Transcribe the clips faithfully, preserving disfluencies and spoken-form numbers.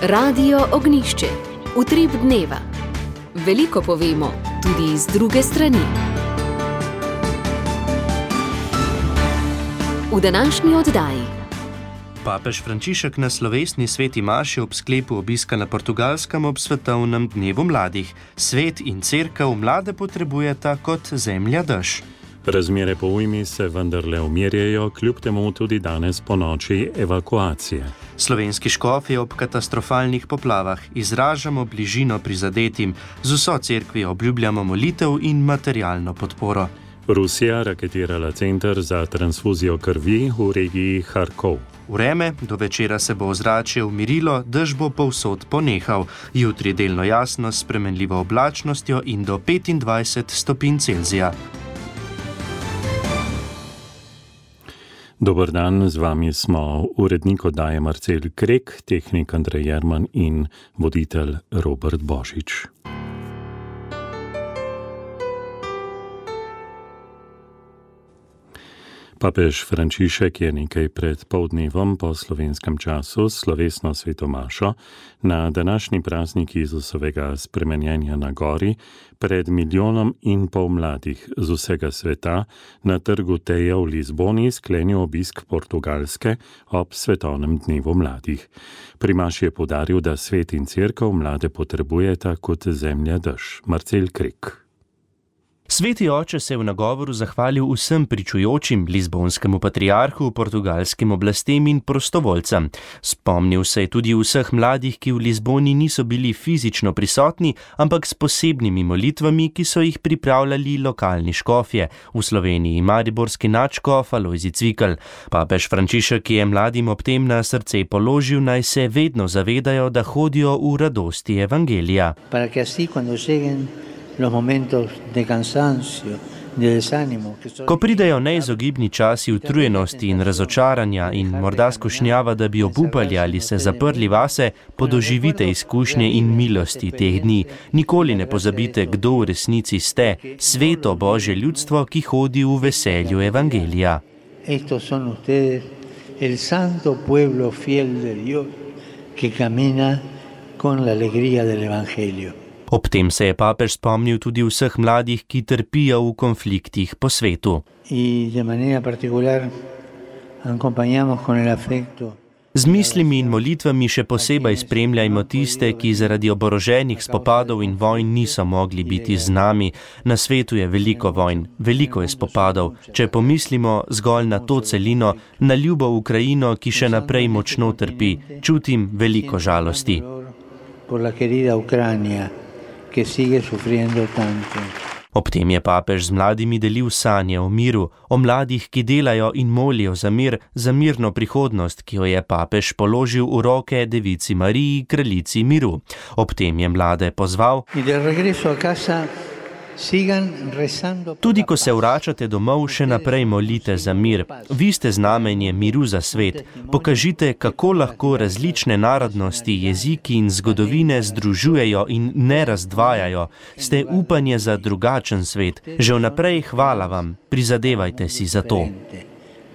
Radio Ognjišče. Utrip dneva. Veliko povemo, tudi iz druge strani. V današnji oddaji. Papež Frančišek na slovesni sveti maši ob sklepu obiska na Portugalskem ob svetovnem dnevu mladih. Svet in cerkev mlade potrebujeta kot zemlja dež. Razmere po ujmi se vendarle umirjajo, kljub temu tudi danes po noči evakuacije. Slovenski škofje ob katastrofalnih poplavah izražamo bližino prizadetim, z vso cerkvijo obljubljamo molitev in materialno podporo. Rusija raketirala center za transfuzijo krvi v regiji Harkov. Vreme, do večera se bo ozračje umirilo, dež bo povsod ponehal. Jutri delno jasno s spremenljivo oblačnostjo in do petindvajset stopinj Celzija. Dober dan, z vami smo urednik oddaje Marcel Krek, tehnik Andrej Jerman in voditelj Robert Božič. Papež Frančišek je nekaj pred poldnevom po slovenskem času slovesno sveto mašo na današnji praznik Jezusovega spremenjenja na gori pred milijonom in pol mladih z vsega sveta na trgu Teja v Lizboni sklenil obisk Portugalske ob svetovnem dnevu mladih. Pri maši je poudaril, da svet in cerkev mlade potrebujeta kot zemlja dež. Marcel Krek. Sveti oče se je v nagovoru zahvalil vsem pričujočim, lizbonskemu patriarhu, portugalskim oblastem in prostovoljcem. Spomnil se je tudi vseh mladih, ki v Lizboni niso bili fizično prisotni, ampak s posebnimi molitvami, ki so jih pripravljali lokalni škofje, v Sloveniji mariborski nadškof Alojzij Cvikl. Papež Frančišek je mladim ob tem na srce položil, naj se vedno zavedajo, da hodijo v radosti evangelija. Para que así cuando lleguen los momentos de cansancio, de desánimo, que so... Ko pridejo neizogibni časi utrujenosti in razočaranja in morda skušnjava, da bi obupali ali se zaprli vase, podoživite izkušnje in milosti teh dni. Nikoli ne pozabite, kdo v resnici ste, sveto Božje ljudstvo, ki hodi v veselju evangelija. Estos son ustedes, el santo pueblo fiel de Dios, que camina con la alegría del evangelio. Ob tem se je papež spomnil tudi vseh mladih, ki trpijo v konfliktih po svetu. Z mislimi in molitvami še posebej spremljajmo tiste, ki zaradi oboroženih spopadov in vojn niso mogli biti z nami. Na svetu je veliko vojn, veliko je spopadov. Če pomislimo zgolj na to celino, na ljubo Ukrajino, ki še naprej močno trpi, čutim veliko žalosti. Que sigue sufriendo tanto. Ob tem je papež z mladimi delil sanje o miru, o mladih, ki delajo in molijo za mir, za mirno prihodnost, ki jo je papež položil v roke devici Mariji, kraljici miru. Ob tem je mlade pozval: tudi ko se vračate domov, še naprej molite za mir. Vi ste znamenje miru za svet. Pokažite, kako lahko različne narodnosti, jeziki in zgodovine združujejo in ne razdvajajo. Ste upanje za drugačen svet. Že vnaprej hvala vam. Prizadevajte si za to.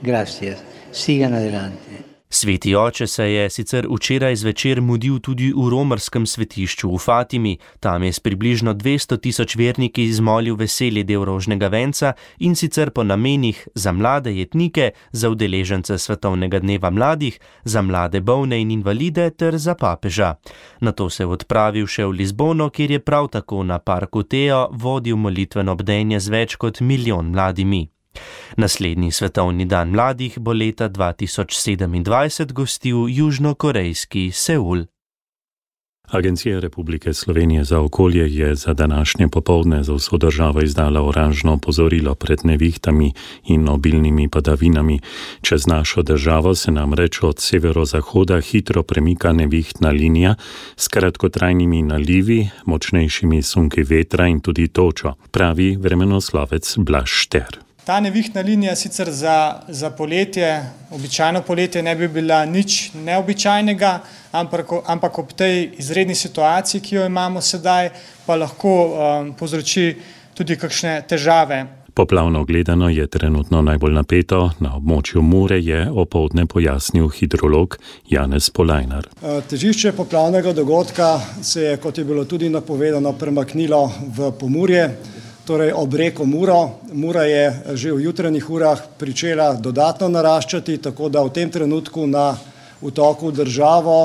Gracias. Sigan adelante. Sveti oče se je sicer včeraj zvečer mudil tudi v romarskem svetišču v Fatimi. Tam je s približno dvesto tisoč verniki izmolil veseli del rožnega venca in sicer po namenih za mlade jetnike, za udeležence svetovnega dneva mladih, za mlade bolne in invalide ter za papeža. Nato se je odpravil še v Lizbono, kjer je prav tako na parku Tejo vodil molitveno bdenje z več kot milijon mladimi. Naslednji svetovni dan mladih bo leta dva tisoč sedemindvajset gostil južnokorejski Seul. Agencija Republike Slovenije za okolje je za današnje popoldne za vso državo izdala oranžno opozorilo pred nevihtami in obilnimi padavinami. Čez našo državo se namreč od severozahoda hitro premika nevihtna linija s kratkotrajnimi nalivi, močnejšimi sunki vetra in tudi točo, pravi vremenoslovec Blaž Šter. Ta nevihtna linija sicer za, za poletje, običajno poletje ne bi bila nič neobičajnega, ampak, ampak ob tej izredni situaciji, ki jo imamo sedaj, pa lahko um, povzroči tudi kakšne težave. Poplavno gledano je trenutno najbolj napeto, na območju Mure je opoldne pojasnil hidrolog Janez Polajnar. Težišče poplavnega dogodka se je, kot je bilo tudi napovedano, premaknilo v Pomurje, torej ob reko Muro. Mura je že v jutranjih urah pričela dodatno naraščati, tako da v tem trenutku na vtoku v državo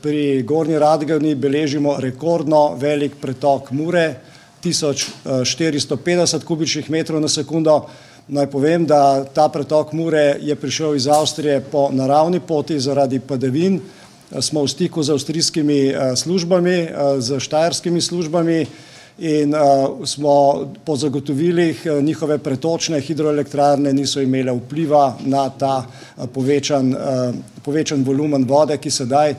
pri Gornji Radgoni beležimo rekordno velik pretok Mure, tisoč štiristo petdeset kubičnih metrov na sekundo. Naj povem, da ta pretok Mure je prišel iz Avstrije po naravni poti zaradi padavin. Smo v stiku z avstrijskimi službami, z štajerskimi službami in smo po zagotovilih njihove pretočne hidroelektrarne niso imele vpliva na ta povečan, povečan volumen vode, ki sedaj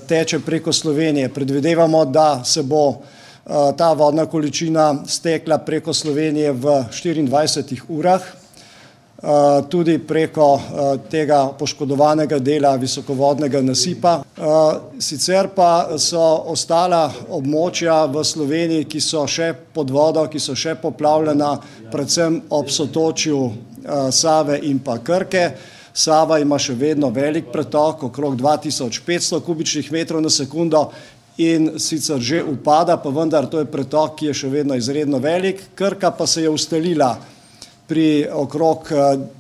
teče preko Slovenije. Predvidevamo, da se bo ta vodna količina stekla preko Slovenije v štiriindvajsetih urah, tudi preko tega poškodovanega dela visokovodnega nasipa. Sicer pa so ostala območja v Sloveniji, ki so še pod vodo, ki so še poplavljena, predvsem ob sotočju Save in pa Krke. Sava ima še vedno velik pretok, okrog dva tisoč petsto kubičnih metrov na sekundo, in sicer že upada, pa vendar to je pretok, ki je še vedno izredno velik. Krka pa se je ustalila pri okrog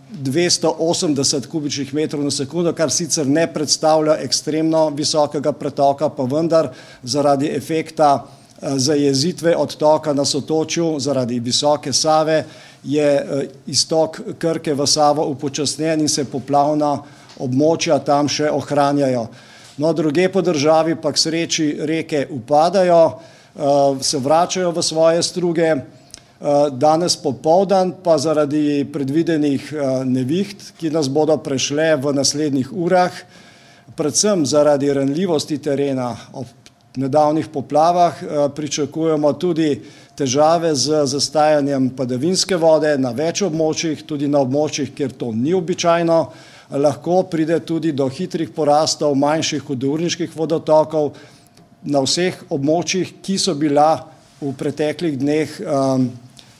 dvesto osemdeset kubičnih metrov na sekundo, kar sicer ne predstavlja ekstremno visokega pretoka, pa vendar zaradi efekta zajezitve odtoka na sotočju, zaradi visoke Save, je iztok Krke v Savo upočasnjen in se poplavna območja tam še ohranjajo. No, druge po državi pa k sreči reke upadajo, se vračajo v svoje struge. Danes popoldan pa zaradi predvidenih neviht, ki nas bodo prešle v naslednjih urah, predvsem zaradi ranljivosti terena ob nedavnih poplavah, pričakujemo tudi težave z zastajanjem padavinske vode na več območjih, tudi na območjih, kjer to ni običajno. Lahko pride tudi do hitrih porastov manjših hudourniških vodotokov na vseh območjih, ki so bila v preteklih dneh,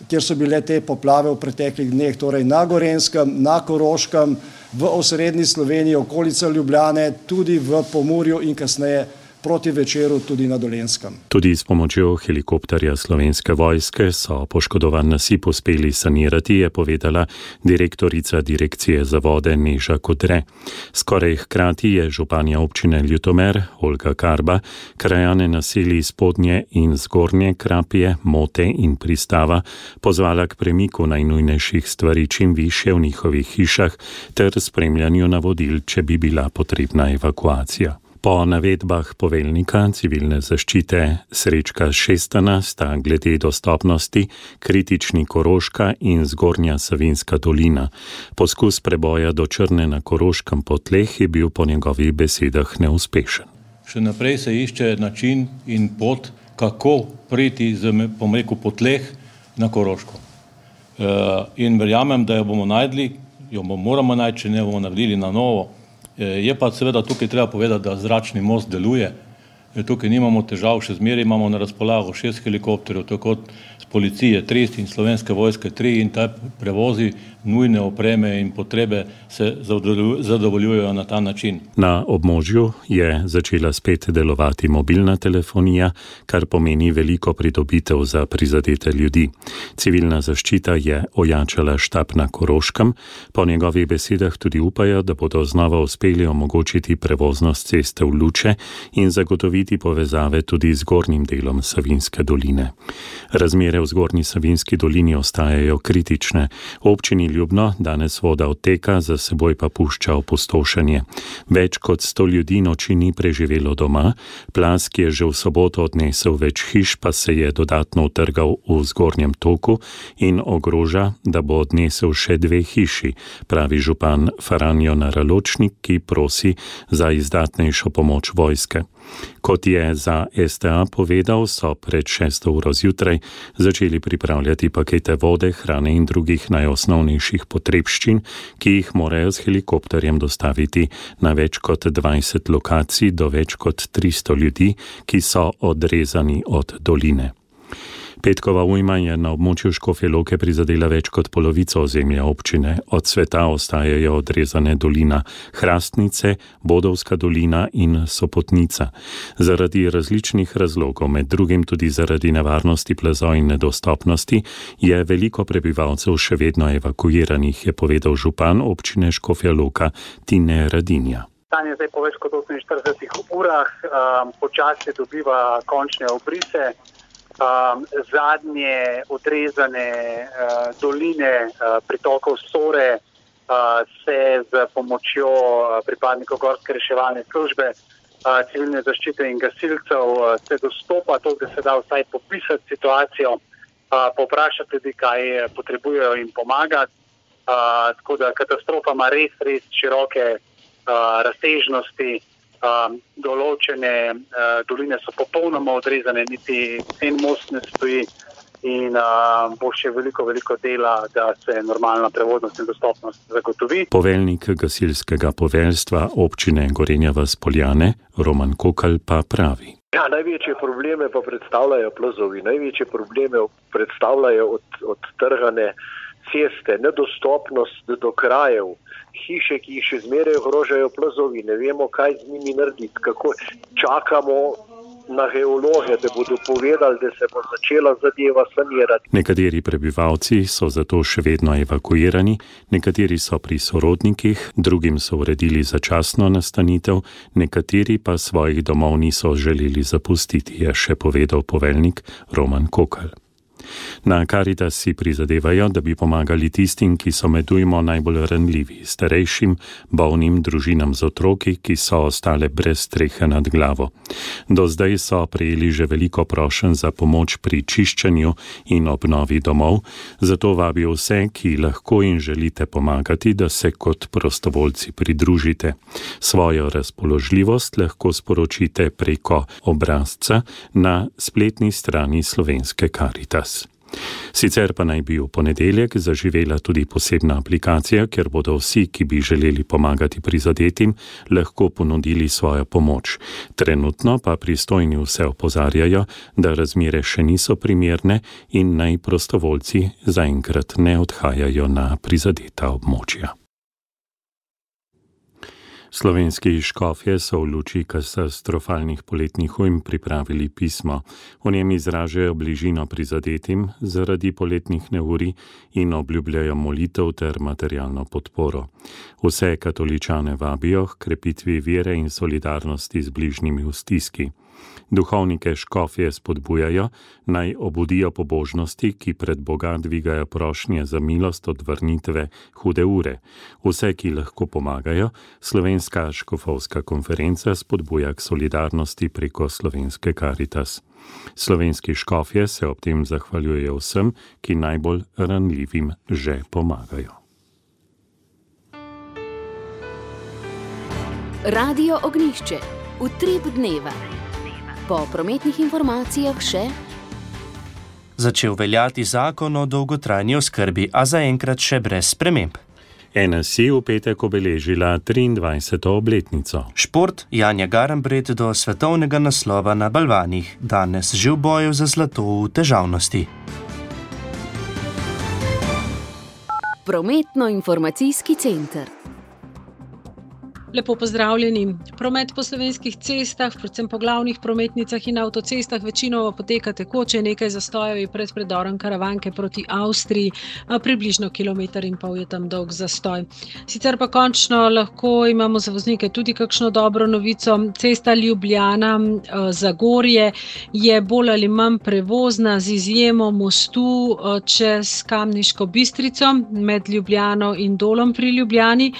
kjer so bile te poplave v preteklih dneh, torej na Gorenjskem, na Koroškem, v osrednji Sloveniji, okolica Ljubljane, tudi v Pomurju in kasneje proti večeru tudi na Dolenjskem. Tudi s pomočjo helikopterja Slovenske vojske so poškodovan nasip uspeli sanirati, je povedala direktorica Direkcije za vode Neža Kodre. Skoraj hkrati je županja občine Ljutomer, Olga Karba, krajane naselij Spodnje in Zgornje Krapje, Mote in Pristava pozvala k premiku najnujnejših stvari čim višje v njihovih hišah ter spremljanju navodil, če bi bila potrebna evakuacija. Po navedbah poveljnika civilne zaščite Srečka Šestana sta glede dostopnosti kritični Koroška in Zgornja Savinjska dolina. Poskus preboja do Črne na Koroškem po tleh je bil po njegovih besedah neuspešen. Še naprej se išče način in pot, kako priti z, bom rekel, po tleh na Koroško. In verjamem, da jo bomo najdli, jo bomo moramo najti, če ne bomo naredili na novo. Je pa seveda tukaj treba povedati, da zračni most deluje. Tukaj nimamo težav, še zmeraj imamo na razpolago šest helikopterjev, tako z policije tri in Slovenske vojske tri, in ta prevozi nujne opreme in potrebe se zadovoljujejo na ta način. Na območju je začela spet delovati mobilna telefonija, kar pomeni veliko pridobitev za prizadete ljudi. Civilna zaščita je ojačala štab na Koroškem, po njegovih besedah tudi upajo, da bodo znova uspeli omogočiti prevoznost ceste v Luče in zagotoviti povezave tudi z zgornjim delom Savinjske doline. Razmere v Zgornji Savinjski dolini ostajajo kritične. Občini Ljubno danes voda odteka, za seboj pa pušča opustošenje. Več kot sto ljudi noči ni preživelo doma, plaz, ki je že v soboto odnesel več hiš, pa se je dodatno utrgal v zgornjem toku in ogroža, da bo odnesel še dve hiši, pravi župan Faranjo Naraločnik, ki prosi za izdatnejšo pomoč vojske. Kot je za S T A povedal, so pred šesto uro zjutraj začeli pripravljati pakete vode, hrane in drugih najosnovnejših potrebščin, ki jih morajo s helikopterjem dostaviti na več kot dvajset lokacij do več kot tristo ljudi, ki so odrezani od doline. Petkova ujma je na območju Škofje Loke prizadela več kot polovico ozemlja občine. Od sveta ostajajo odrezane dolina Hrastnice, Bodovska dolina in Sopotnica. Zaradi različnih razlogov, med drugim tudi zaradi nevarnosti plazov in nedostopnosti, je veliko prebivalcev še vedno evakuiranih, je povedal župan občine Škofja Loka Tine Radinja. Stanje zdaj po več kot oseminštiridesetih urah um, počasi dobiva končne obrise. Um, zadnje odrezane uh, doline uh, pritokov Sore uh, se z pomočjo uh, pripadnikov Gorske reševalne službe, uh, civilne zaščite in gasilcev uh, se dostopa, to da se da vsaj popisati situacijo, uh, poprašati ljudi, kaj potrebujejo in pomagati. Uh, tako da katastrofa ima res, res široke uh, razsežnosti. Um, določene uh, doline so popolnoma odrezane, niti en most ne stoji in uh, bo še veliko, veliko dela, da se normalna prevodnost in dostopnost zagotovi. Poveljnik gasilskega poveljstva občine Gorenja vas Poljane, Roman Kokalj, pa pravi. Ja, največje probleme pa predstavljajo plazovi, največje probleme predstavljajo od, odtrgane ceste, nedostopnost do krajev, hiše, ki jih še zmeraj ogrožajo plazovi, ne vemo, kaj z njimi narediti, kako čakamo na geologe, da bodo povedali, da se bo začela zadeva sanirati. Nekateri prebivalci so zato še vedno evakuirani, nekateri so pri sorodnikih, drugim so uredili začasno nastanitev, nekateri pa svojih domov niso želeli zapustiti, je še povedal poveljnik Roman Kokalj. Na Karitas si prizadevajo, da bi pomagali tistim, ki so med ujmo najbolj ranljivi, starejšim, bolnim, družinam z otroki, ki so ostale brez strehe nad glavo. Do zdaj so prejeli že veliko prošenj za pomoč pri čiščenju in obnovi domov, zato vabijo vse, ki lahko in želite pomagati, da se kot prostovoljci pridružite. Svojo razpoložljivost lahko sporočite preko obrazca na spletni strani slovenske Karitas. Sicer pa naj bi v ponedeljek zaživela tudi posebna aplikacija, kjer bodo vsi, ki bi želeli pomagati prizadetim, lahko ponudili svojo pomoč. Trenutno pa pristojni vse opozarjajo, da razmere še niso primerne in naj prostovoljci zaenkrat ne odhajajo na prizadeta območja. Slovenski škofje so v luči katastrofalnih poletnih ujm pripravili pismo. V njem izražajo bližino prizadetim zaradi poletnih neurij in obljubljajo molitev ter materialno podporo. Vse katoličane vabijo k krepitvi vere in solidarnosti z bližnjimi v stiski. Duhovnike škofje spodbujajo, naj obudijo pobožnosti, ki pred Boga dvigajo prošnje za milost od vrnitve hude ure. Vse, ki lahko pomagajo, Slovenska škofovska konferenca spodbuja k solidarnosti preko slovenske Karitas. Slovenski škofje se ob tem zahvaljujejo vsem, ki najbolj ranljivim že pomagajo. Radio Ognjišče. Utrip dneva. Po prometnih informacijah še začel veljati zakon o dolgotrajni oskrbi, a zaenkrat še brez sprememb. N S I v petek obeležila triindvajseto obletnico. Šport, Janja Garnbret do svetovnega naslova na balvanih, danes že v boju za zlato v težavnosti. Prometno-informacijski center. Lepo pozdravljeni. Promet po slovenskih cestah, predvsem po glavnih prometnicah in avtocestah večinoma poteka tekoče, nekaj zastojev je pred predorom Karavanke proti Avstriji, približno kilometer in pol je tam dolg zastoj. Sicer pa končno lahko imamo za voznike tudi kakšno dobro novico. Cesta Ljubljana-Zagorje je bolj ali manj prevozna z izjemo mostu čez Kamniško Bistrico med Ljubljano in Dolom pri Ljubljani.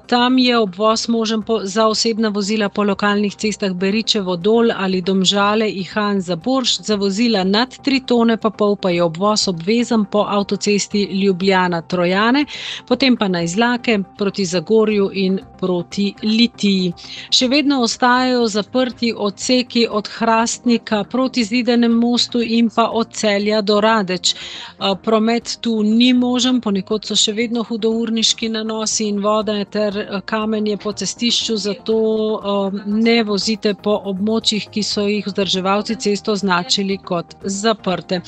Tam je obvoz možen po, za osebna vozila po lokalnih cestah Beričevo Dol ali Domžale Ihan za Borš, za vozila nad tri tone pa pol pa je obvoz obvezen po avtocesti Ljubljana-Trojane, potem pa na Izlake proti Zagorju in proti Litiji. Še vedno ostajajo zaprti odseki od Hrastnika proti Zidanem mostu in pa od Celja do Radeč. Promet tu ni možen, ponekod so še vedno hudourniški nanosi in voda ter kamenje po po cestišču, zato ne vozite po območjih, ki so jih vzdrževalci cest označili kot zaprte.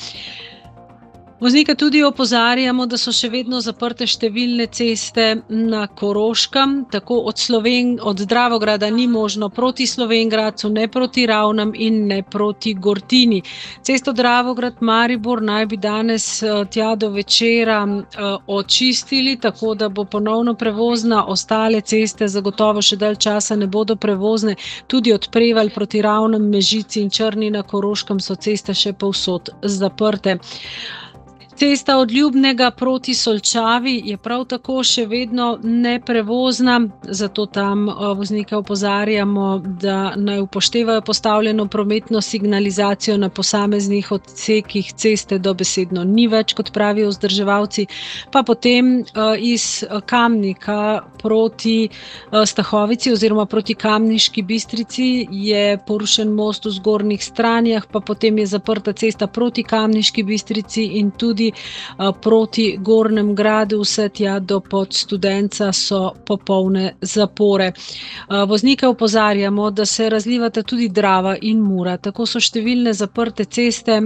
Voznike tudi opozarjamo, da so še vedno zaprte številne ceste na Koroškem, tako od, Sloven, od Dravograda ni možno proti Slovenjgradcu, ne proti Ravnam in ne proti Gortini. Cesto Dravograd-Maribor naj bi danes tja do večera očistili, tako da bo ponovno prevozna, ostale ceste zagotovo še dalj časa ne bodo prevozne. Tudi od Prevalj proti Ravnem, Mežici in Črni na Koroškem so ceste še povsod zaprte. Cesta od Ljubnega proti Solčavi je prav tako še vedno neprevozna, zato tam voznike opozarjamo, da naj upoštevajo postavljeno prometno signalizacijo na posameznih odsekih ceste, dobesedno ni več, kot pravijo vzdrževalci. Pa potem iz Kamnika proti Stahovici oziroma proti Kamniški Bistrici je porušen most v Zgornjih Stranjah, pa potem je zaprta cesta proti Kamniški Bistrici in tudi proti Gornjem Gradu, vse tja do Podstudenca so popolne zapore. Voznike opozarjamo, da se razlivata tudi Drava in Mura. Tako so številne zaprte ceste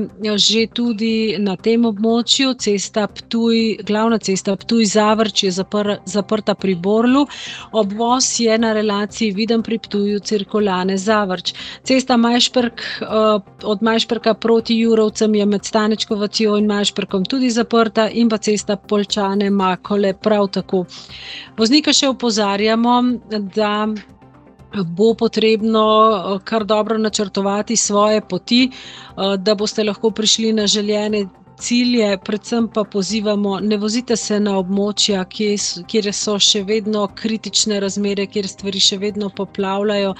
že tudi na tem območju. Cesta Ptuj, glavna cesta Ptuj-Zavrč je zapr, zaprta pri Borlu. Obvoz je na relaciji Videm pri Ptuju, Cirkulane-Zavrč. Cesta Majšperk, od Majšperka proti Jurovcem je med Stanečkovo Vatjo in Majšperkom tudi zaprta in pa cesta Poljčane-Makole prav tako. Voznike še opozarjamo, da bo potrebno kar dobro načrtovati svoje poti, da boste lahko prišli na željene cilje, predvsem pa pozivamo, ne vozite se na območja, kjer so še vedno kritične razmere, kjer stvari še vedno poplavljajo,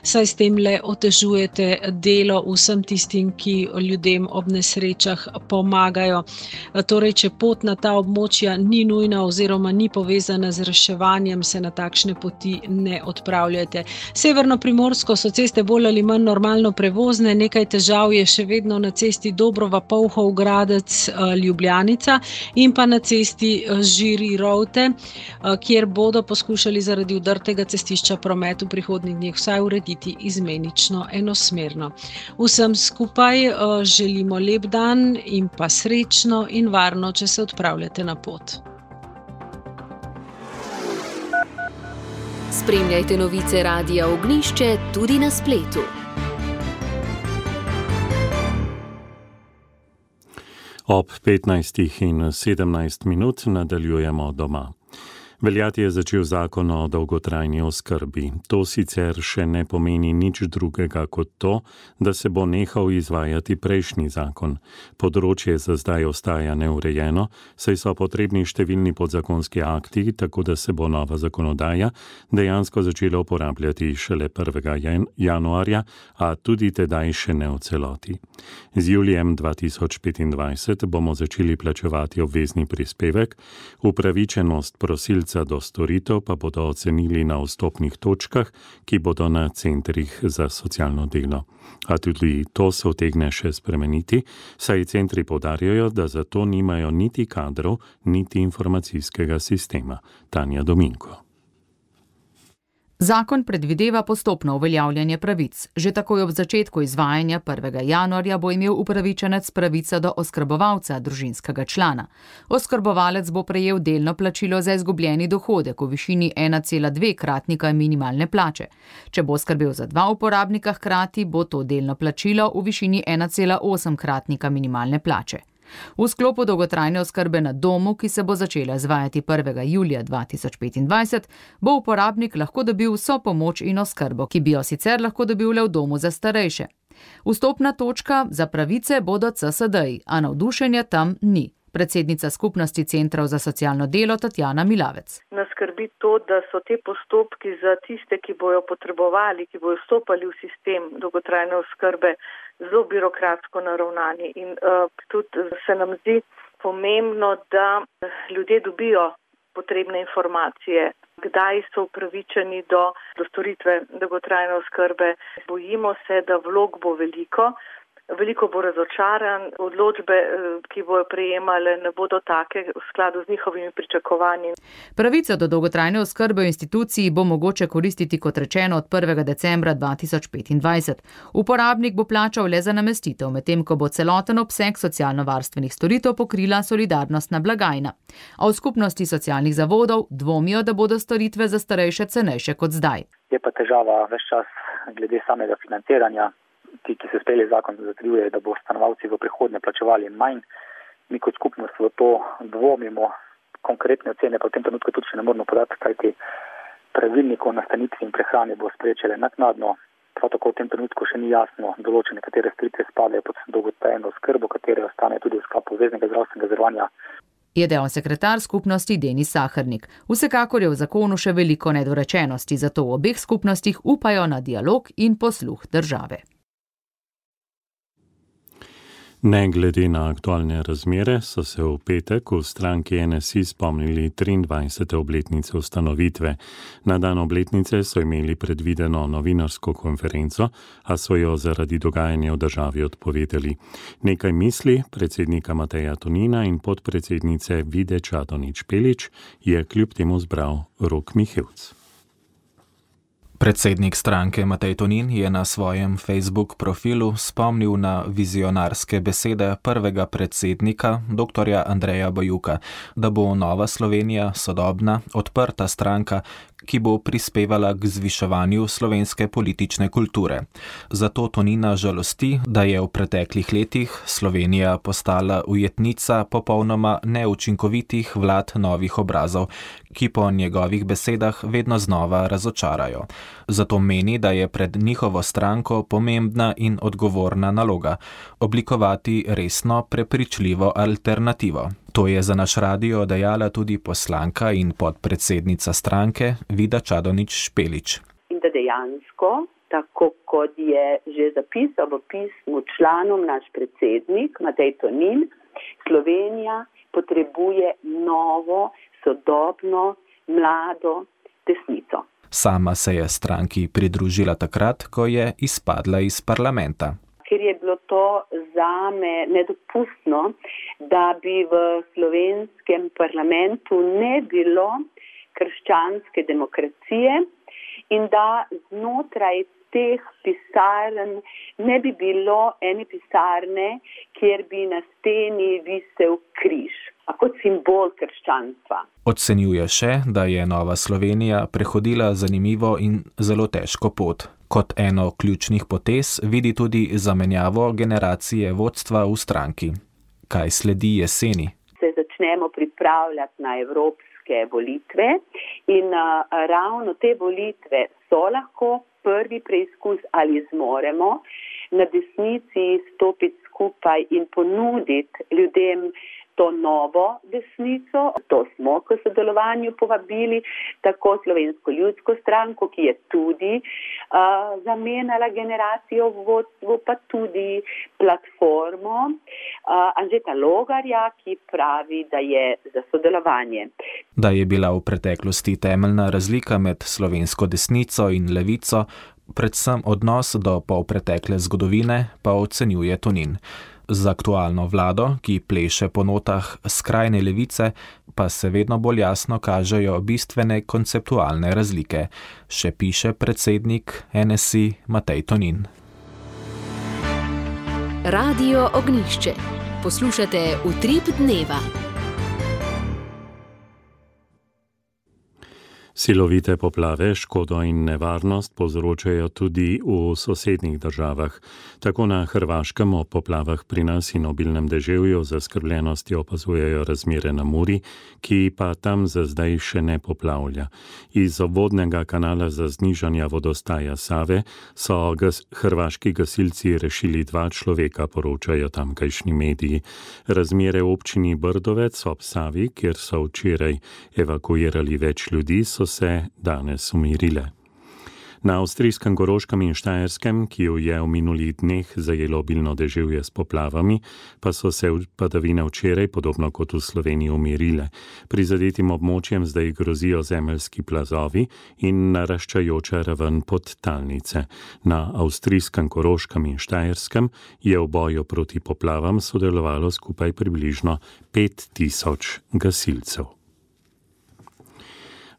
saj s tem le otežujete delo vsem tistim, ki ljudem ob nesrečah pomagajo. Torej, če pot na ta območja ni nujna oziroma ni povezana z reševanjem, se na takšne poti ne odpravljate. Severno Primorsko so ceste bolj ali manj normalno prevozne, nekaj težav je še vedno na cesti Dobrova-Polhov Gradec Ljubljanica in pa na cesti Žiri-Rovte, kjer bodo poskušali zaradi udrtega cestišča promet v prihodnjih dneh vsaj urediti izmenično enosmerno. Vsem skupaj želimo lep dan in pa srečno in varno, če se odpravljate na pot. Spremljajte novice Radia Ognjišče tudi na spletu. Ob petnajstih in sedemnajst minut nadaljujemo doma. Veljati je začel zakon o dolgotrajni oskrbi. To sicer še ne pomeni nič drugega kot to, da se bo nehal izvajati prejšnji zakon. Področje za zdaj ostaja neurejeno, saj so potrebni številni podzakonski akti, tako da se bo nova zakonodaja dejansko začela uporabljati šele prvega januarja, a tudi tedaj še ne v celoti. Z julijem dva tisoč petindvajset bomo začeli plačevati obvezni prispevek, upravičenost prosilcev do storitev pa bodo ocenili na vstopnih točkah, ki bodo na centrih za socialno delo. A tudi to se utegne še spremeniti, saj centri poudarjajo, da za to nimajo niti kadrov, niti informacijskega sistema. Tanja Dominko. Zakon predvideva postopno uveljavljanje pravic. Že takoj ob začetku izvajanja prvega januarja bo imel upravičenec pravico do oskrbovalca družinskega člana. Oskrbovalec bo prejel delno plačilo za izgubljeni dohodek v višini ena cela dve kratnika minimalne plače. Če bo skrbel za dva uporabnika hkrati, bo to delno plačilo v višini ena cela osem kratnika minimalne plače. V sklopu dolgotrajne oskrbe na domu, ki se bo začela izvajati prvega julija dva tisoč petindvajset, bo uporabnik lahko dobil vso pomoč in oskrbo, ki bi jo sicer lahko dobil le v domu za starejše. Vstopna točka za pravice bodo C S D-ji, a navdušenja tam ni. Predsednica skupnosti centrov za socialno delo Tatjana Milavec. Nas skrbi to, da so te postopki za tiste, ki bojo potrebovali, ki bojo vstopali v sistem dolgotrajne oskrbe, zelo birokratsko naravnani. In uh, tudi se nam zdi pomembno, da ljudje dobijo potrebne informacije, kdaj so upravičeni do, do storitve dolgotrajne oskrbe. Bojimo se, da vlog bo veliko. veliko bo razočaran, odločbe, ki bojo prejemale, ne bodo take v skladu z njihovimi pričakovanji. Pravico do dolgotrajne oskrbe v instituciji bo mogoče koristiti, kot rečeno, od prvega decembra dva tisoč petindvajset. Uporabnik bo plačal le za namestitev, medtem ko bo celoten obseg socialno-varstvenih storitev pokrila solidarnostna blagajna. A v skupnosti socialnih zavodov dvomijo, da bodo storitve za starejše cenejše kot zdaj. Je pa težava ves čas glede samega financiranja. Ti, ki se sprejeli zakon, zatrjuje, da bo stanovalci v prihodnje plačevali manj. Mi kot skupnost v to dvomimo, konkretne ocene pa v tem trenutku tudi še ne moramo podati, kajti pravilnik o nastanitvi in prehrani bo spreječele naknadno. Prav tako v tem trenutku še ni jasno določene, katere storitve spadajo pod dolgotrajno oskrbo, katere ostane tudi v sklopu obveznega zdravstvenega zavarovanja. Je dejal sekretar skupnosti Denis Sahernik. Vsekakor je v zakonu še veliko nedorečenosti, zato v obeh skupnostih upajo na dialog in posluh države. Ne glede na aktualne razmere so se v petek v stranki N S I spomnili triindvajsete obletnice ustanovitve. Na dan obletnice so imeli predvideno novinarsko konferenco, a so jo zaradi dogajanja v državi odpovedali. Nekaj misli predsednika Mateja Tonina in podpredsednice Vide Čadonič Špelič je kljub temu zbral Rok Mihevc. Predsednik stranke Matej Tonin je na svojem Facebook profilu spomnil na vizionarske besede prvega predsednika, doktorja Andreja Bajuka, da bo Nova Slovenija sodobna, odprta stranka, ki bo prispevala k zviševanju slovenske politične kulture. Zato Tonina žalosti, da je v preteklih letih Slovenija postala ujetnica popolnoma neučinkovitih vlad novih obrazov, ki po njegovih besedah vedno znova razočarajo. Zato meni, da je pred njihovo stranko pomembna in odgovorna naloga oblikovati resno, prepričljivo alternativo. To je za naš radio dejala tudi poslanka in podpredsednica stranke Vida Čadonič Špelič. In da dejansko, tako kot je že zapisal v pismu članom naš predsednik Matej Tonin, Slovenija potrebuje novo, sodobno, mlado desnico. Sama se je stranki pridružila takrat, ko je izpadla iz parlamenta. Ker je bilo to zame nedopustno, da bi v slovenskem parlamentu ne bilo krščanske demokracije in da znotraj teh pisarn ne bi bilo ene pisarne, kjer bi na steni visel križ, kot simbol krščanstva. Ocenjuje še, da je Nova Slovenija prehodila zanimivo in zelo težko pot. Kot eno ključnih potez vidi tudi zamenjavo generacije vodstva v stranki. Kaj sledi jeseni? Se začnemo pripravljati na evropske volitve in uh, ravno te volitve so lahko prvi preizkus, ali zmoremo na desnici stopiti skupaj in ponuditi ljudem to novo desnico. To smo k sodelovanju povabili tako Slovensko ljudsko stranko, ki je tudi uh, zamenjala generacijo v vodstvu, pa tudi platformo uh, Anžeta Logarja, ki pravi, da je za sodelovanje. Da je bila v preteklosti temeljna razlika med slovensko desnico in levico, predvsem odnos do polpretekle zgodovine, pa ocenjuje Tonin. Z aktualno vlado, ki pleše po notah skrajne levice, pa se vedno bolj jasno kažejo bistvene konceptualne razlike, še piše predsednik N S I Matej Tonin. Radio Ognjišče. Poslušate Utrip dneva. Silovite poplave, škodo in nevarnost povzročajo tudi v sosednjih državah. Tako na Hrvaškem o poplavah pri nas in obilnem deževju zaskrbljenosti opazujejo razmere na Muri, ki pa tam za zdaj še ne poplavlja. Iz obvodnega kanala za znižanje vodostaja Save so gas, hrvaški gasilci rešili dva človeka, poročajo tamkajšnji mediji. Razmere v občini Brdovec ob Savi, kjer so včeraj evakuirali več ljudi, so se danes umirile. Na avstrijskem Koroškem in Štajerskem, ki jo je v minulih dneh zajelo obilno deževje s poplavami, pa so se padavine včeraj, podobno kot v Sloveniji, umirile. Prizadetim območjem zdaj grozijo zemeljski plazovi in naraščajoča raven podtalnice. Na avstrijskem Koroškem in Štajerskem je v boju proti poplavam sodelovalo skupaj približno pet tisoč gasilcev.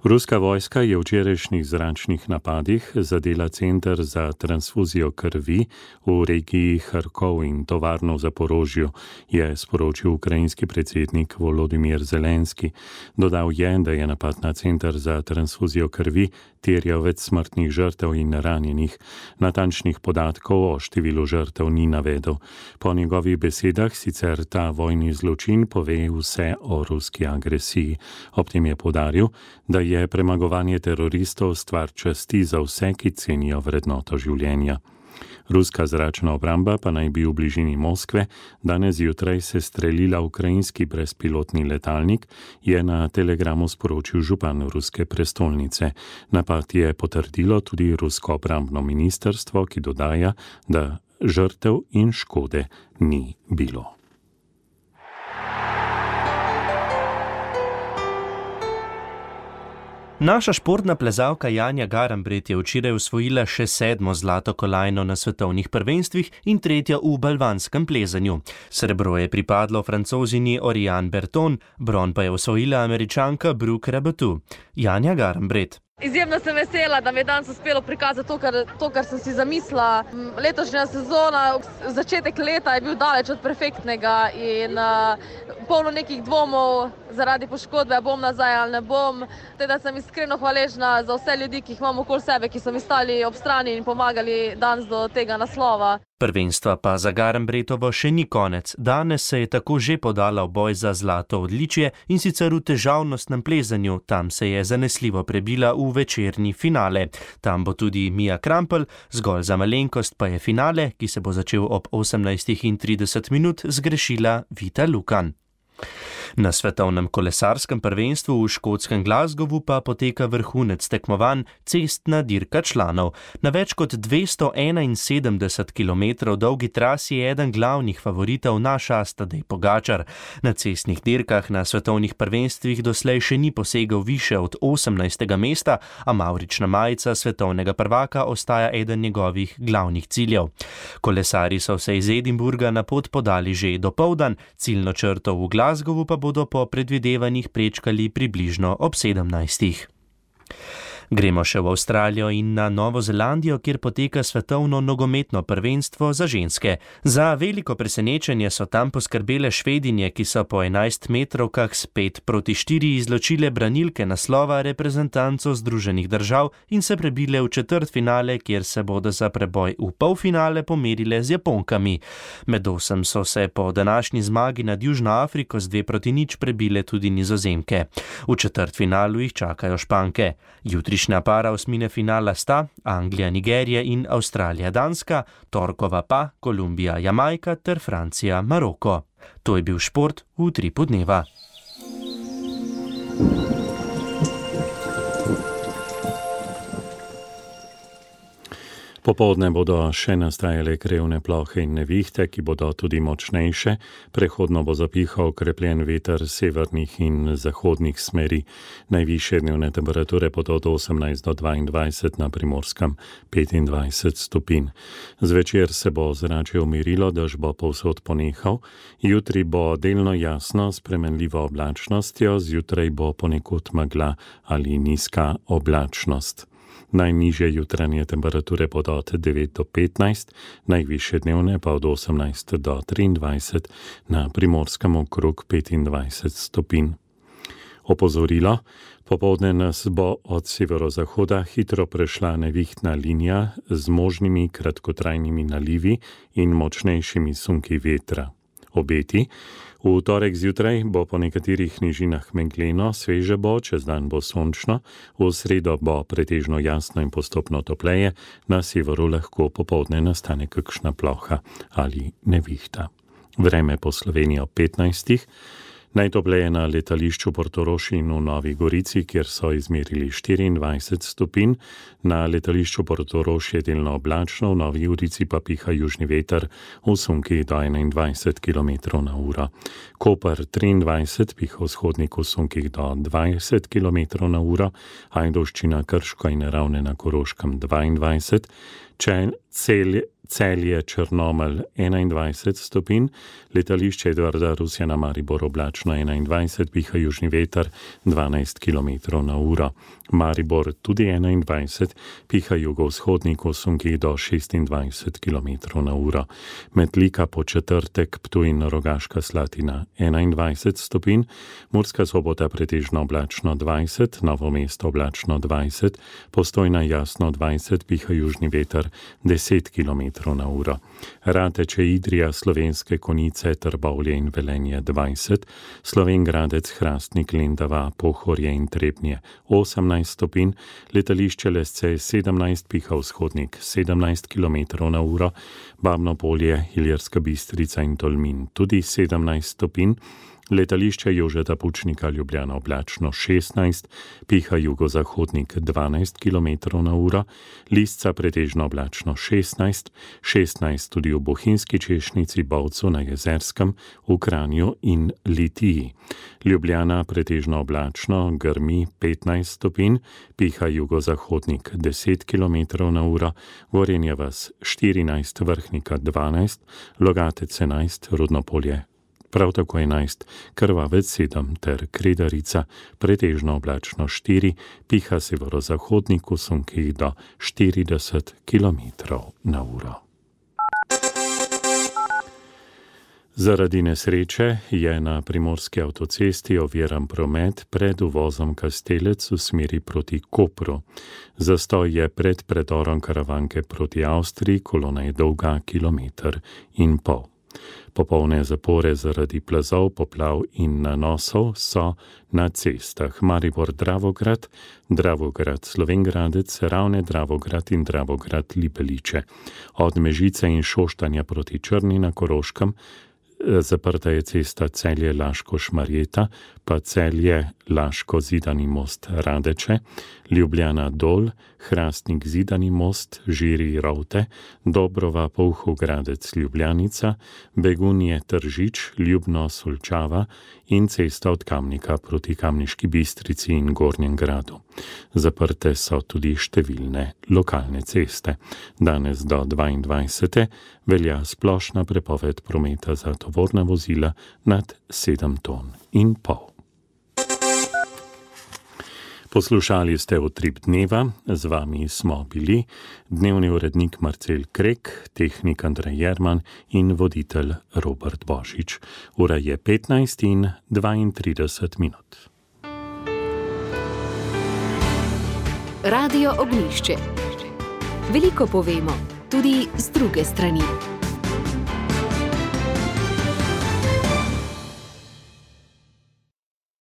Ruska vojska je v včerajšnjih zračnih napadih zadela center za transfuzijo krvi v regiji Harkov in tovarno v Zaporožju, je sporočil ukrajinski predsednik Volodimir Zelenski. Dodal je, da je napad na center za transfuzijo krvi terjal več smrtnih žrtev in ranjenih. Natančnih podatkov o številu žrtev ni navedel. Po njegovih besedah sicer ta vojni zločin pove vse o ruski agresiji. Ob tem je poudaril, da je premagovanje teroristov stvar časti za vse, ki cenijo vrednoto življenja. Ruska zračna obramba pa naj bi v bližini Moskve danes zjutraj se streljila ukrajinski brezpilotni letalnik, je na telegramu sporočil župan ruske prestolnice. Napad je potrdilo tudi rusko obrambno ministrstvo, ki dodaja, da žrtev in škode ni bilo. Naša športna plezalka Janja Garnbret je včeraj osvojila še sedmo zlato kolajno na svetovnih prvenstvih in tretjo v balvanskem plezanju. Srebro je pripadlo Francozini Oriane Berton, bron pa je osvojila Američanka Brooke Raboutou. Janja Garnbret. Izjemno sem vesela, da mi je danes uspelo prikazati to kar, to, kar sem si zamislila. Letošnja sezona, začetek leta je bil daleč od perfektnega in uh, polno nekih dvomov zaradi poškodbe, bom nazaj ali ne bom. Teda sem iskreno hvaležna za vse ljudi, ki jih imam okoli sebe, ki so mi stali ob strani in pomagali danes do tega naslova. Prvenstva pa za Garnbretovo še ni konec. Danes se je tako že podala v boj za zlato odličje in sicer v težavnostnem plezanju. Tam se je zanesljivo prebila v večerni finale. Tam bo tudi Mia Krampelj, zgolj za malenkost pa je finale, ki se bo začel ob osemnajstih trideset minut, zgrešila Vita Lukan. Na svetovnem kolesarskem prvenstvu v škotskem Glasgowu pa poteka vrhunec tekmovanj cestna dirka članov. Na več kot dvesto enainsedemdeset kilometrov dolgi trasi je eden glavnih favoritov naš Tadej Pogačar. Na cestnih dirkah na svetovnih prvenstvih doslej še ni posegel više od osemnajstega mesta, a mavrična majica svetovnega prvaka ostaja eden njegovih glavnih ciljev. Kolesarji so se iz Edinburga na pot podali že dopoldan, ciljno črto v Glasgowu pa bodo po predvidevanjih prečkali približno ob sedemnajstih. Gremo še v Avstralijo in na Novo Zelandijo, kjer poteka svetovno nogometno prvenstvo za ženske. Za veliko presenečenje so tam poskrbele Švedinje, ki so po enajst metrovkah s pet proti štiri izločile branilke naslova reprezentanco Združenih držav in se prebile v četrtfinale, kjer se bodo za preboj v polfinale pomerile z Japonkami. Med osem so se po današnji zmagi nad Južno Afriko z dve proti nič prebile tudi Nizozemke. V četrtfinalu jih čakajo Španke. Jutri para osmine finala sta Anglija, Nigerija in Avstralija, Danska, torkova pa Kolumbija, Jamajka ter Francija, Maroko. To je bil šport v utripu dneva. Popoldne bodo še nastajale krevne plohe in nevihte, ki bodo tudi močnejše. Prehodno bo zapihal okrepljen veter severnih in zahodnih smeri. Najvišje dnevne temperature bodo od osemnajst do dvaindvajset, na Primorskem petindvajset stopinj. Zvečer se bo ozračje umirilo, dež bo povsod ponehal. Jutri bo delno jasno s spremenljivo oblačnostjo, zjutraj bo ponekod megla ali nizka oblačnost. Najnižje jutranje temperature bodo od devet do petnajst, najvišje dnevne pa od osemnajst do triindvajset, na Primorskem okrog petindvajset stopinj. Opozorilo: popoldne nas bo od severozahoda hitro prešla nevihtna linija z možnimi kratkotrajnimi nalivi in močnejšimi sunki vetra. Obeti: v torek zjutraj bo po nekaterih nižinah megleno, sveže bo, čez dan bo sončno, v sredo bo pretežno jasno in postopno topleje, na severu lahko popoldne nastane kakšna ploha ali nevihta. Vreme po Sloveniji ob petnajstih, Najtopleje na letališču Portorož in v Novi Gorici, kjer so izmerili štiriindvajset stopinj. Na letališču Portorož je delno oblačno, v Novi Gorici pa piha južni veter v sunkih do enaindvajset kilometrov na uro. Koper triindvajset, piha vzhodnik v sunkih do dvajset kilometrov na uro, Ajdovščina, Krško in Ravne na Koroškem dvaindvajset, Čel, Celje, Celje, Črnomelj enaindvajset stopinj, letališče Edvarda Rusjana Maribor oblačno enaindvajset, piha južni veter dvanajst kilometrov na uro. Maribor tudi enaindvajset, piha jugovzhodnik v sunkih do šestindvajset kilometrov na uro. Metlika po četrtek, Ptuj in Rogaška Slatina enaindvajset stopinj, Murska Sobota pretežno oblačno dvajset, Novo mesto oblačno dvajset, Postojna jasno dvajset, piha južni veter deset kilometrov na uro. Rateče, Idrija, Slovenske Konjice, Trbovlje in Velenje dvajset, Slovenj Gradec, Hrastnik, Lendava, Pohorje in Trebnje osemnajst stopinj, letališče Lesce sedemnajst, piha vzhodnik sedemnajst kilometrov na uro, Babno Polje, Iljerska Bistrica in Tolmin tudi sedemnajst stopinj, letališče Jožeta Pučnika Ljubljana oblačno šestnajst, piha jugozahodnik dvanajst kilometrov na uro, Lisca pretežno oblačno šestnajst, šestnajst tudi v Bohinjski Češnici, Bovcu na Jezerskem, v Kranju in Litiji. Ljubljana pretežno oblačno, grmi petnajst stopinj, piha jugozahodnik deset kilometrov na uro, Gorenje vas štirinajst, Vrhnika dvanajst, Logatec enajst, Rudnopolje prav tako enajst, Krvavec sedem ter Kredarica pretežno oblačno štiri, piha severozahodnik v sunkih do štirideset kilometrov na uro. Zaradi nesreče je na primorski avtocesti oviran promet pred uvozom Kastelec v smeri proti Kopru. Zastoj je pred predorom Karavanke proti Avstriji, kolona je dolga kilometer in pol. Popolne zapore zaradi plazov, poplav in nanosov so na cestah Maribor Dravograd, Dravograd Slovenj Gradec, Ravne Dravograd in Dravograd Libeliče. Od Mežice in Šoštanja proti Črni na Koroškem zaprta je cesta Celje Laško Šmarjeta, pa Celje Laško Zidani most Radeče, Ljubljana Dol, Hrastnik Zidani most, Žiri Rovte, Dobrova Polhov Gradec Ljubljanica, Begunje Tržič, Ljubno Solčava in cesta od Kamnika proti Kamniški Bistrici in Gornjem Gradu. Zaprte so tudi številne lokalne ceste. Danes do dvaindvajsete velja splošna prepoved prometa za tovorna vozila nad sedem ton in pol. Poslušali ste Utrip dneva, z vami smo bili dnevni urednik Marcel Krek, tehnik Andrej Jerman in voditelj Robert Božič. Ura je petnajst in dvaintrideset minut. Radio Ognjišče. Veliko povemo, tudi z druge strani.